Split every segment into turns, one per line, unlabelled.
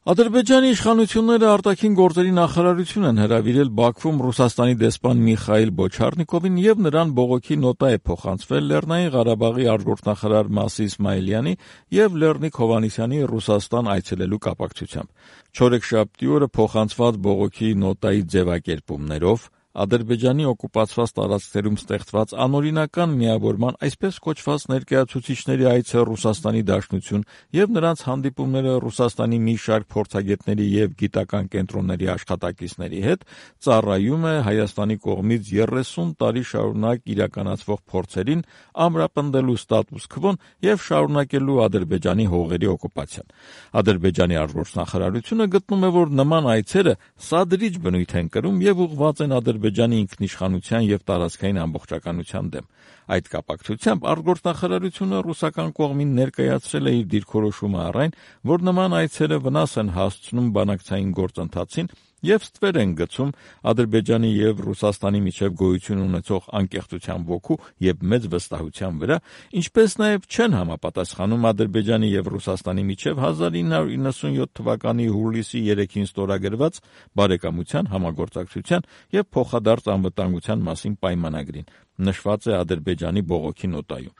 Ադրբեջանի իշխանությունները արտաքին գործերի նախարարություն են հրավիրել Բաքվում Ռուսաստանի դեսպան Միխայիլ Բոչարնիկովին եւ նրան բողոքի նոտա է փոխանցվել Լեռնային Ղարաբաղի արտգործնախարար Մասի Իսմայիլյանի եւ Լեռնիկ Հովհաննիսյանի Ռուսաստան այցելելու կապակցությամբ։ Չորեքշաբթի օրը փոխանցված բողոքի նոտայի ձևակերպումներով Ադրբեջանի օկուպացված տարածքներում ստեղծված անօրինական միավորման այսպես կոչված ներկայացուցիչների այցը Ռուսաստանի Դաշնություն եւ նրանց հանդիպումները Ռուսաստանի մի շարք փորձագետների եւ գիտական կենտրոնների աշխատակիցների հետ ծառայում է Հայաստանի կողմից 30 տարի շարունակ իրականացվող փորձերին ամրապնդելու ստատուս քվոն եւ շարունակելու Ադրբեջանի հողերի օկուպացիան։ Ադրբեջանի արտգործնախարարությունը գտնում է, որ նման այցերը սադրիչ բնույթ են կրում եւ ուղղված են Ադրբեջանի ինքնիշխանության եւ տարածքային ամբողջականության դեմ։ Այդ կապակցությամբ արտգործնախարարությունը ռուսական կողմին ներկայացրել է իր դիրքորոշումը առ այն, որ նման այցերը վնաս են հասցնում բանակցային գործընթացին եւ ստվեր են գցում Ադրբեջանի եւ Ռուսաստանի միջև գոյություն ունեցող անկեղծության ոգու եւ մեծ վստահության վրա, ինչպես նաեւ չեն համապատասխանում Ադրբեջանի եւ Ռուսաստանի միջև 1997 թվականի հուլիսի 3-ին ստորագրված բարեկամության, համագործակցության եւ փոխադարձ անվտանգության մասին պայմանագրին, նշված է Ադրբեջանի բողոքի նոտայում։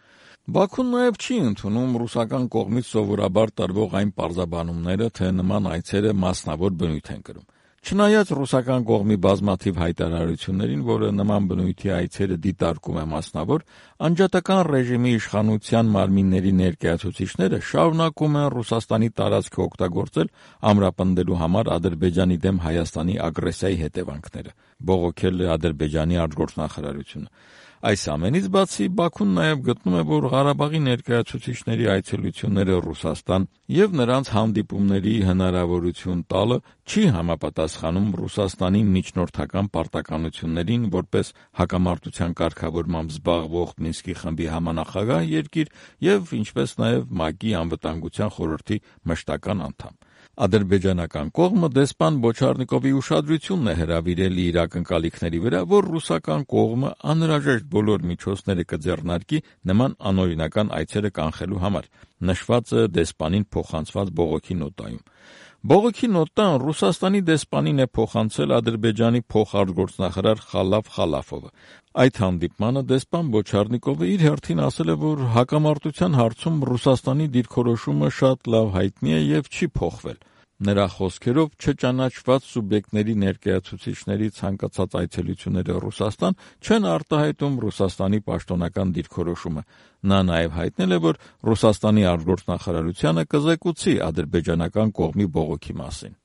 Բաքուն նաև չի ընդունում ռուսական կողմից սովորաբար տրվող այն պարզաբանումները, թե նման այցերը մասնավոր բնույթ են կրում։ Չնայած ռուսական կողմի բազմաթիվ հայտարարություններին, որը նման բնույթի այցերը դիտարկում է մասնավոր, անջատական ռեժիմի իշխանության մարմինների ներկայացուցիչները շարունակում են Ռուսաստանի տարածքը օգտագործել ամրապնդելու համար Ադրբեջանի դեմ Հայաստանի ագրեսիայի հետևանքները, բողոքել է Ադրբեջանի արտգործնախարարությունը։ Այս ամենից բացի Բաքուն նաև գտնում է, որ Ղարաբաղի ներկայացուցիչների այցելությունները Ռուսաստան եւ նրանց հանդիպումների հնարավորություն տալը չի համապատասխանում Ռուսաստանի միջնորդական պարտականություններին որպես հակամարտության կարգավորմամբ զբաղվող Մինսկի խմբի համանախագահ երկիր եւ ինչպես նաեւ ՄԱԿ-ի անվտանգության խորհրդի մշտական անդամ։ Ադրբեջանական կողմը դեսպան Բոչարնիկովի ուշադրությունն է հրավիրել իր ակնկալիքների վրա, որ ռուսական կողմը անհրաժեշտ բոլոր միջոցները կձեռնարկի նման անօրինական այցերը կանխելու համար, նշված է դեսպանին փոխանցված բողոքի նոտայում։ Բողոքի նոտան Ռուսաստանի դեսպանին է փոխանցել Ադրբեջանի փոխարտգործնախարար Խալաֆ Խալաֆովը։ Այդ հանդիպմանը դեսպան Բոչարնիկովը իր հերթին ասել է, որ հակամարտության հարցում Ռուսաստանի դիրքորոշումը շատ լավ հայտնի է եւ չի փոխվել։ Նրա խոսքերով չճանաչված սուբյեկտների ներկայացուցիչների ցանկացած այցելությունները Ռուսաստան չեն արտահայտում Ռուսաստանի պաշտոնական դիրքորոշումը։ Նա նաև հայտնել է, որ Ռուսաստանի արտգործնախարարությանը կզեկուցի ադրբեջանական կողմի բողոքի մասին։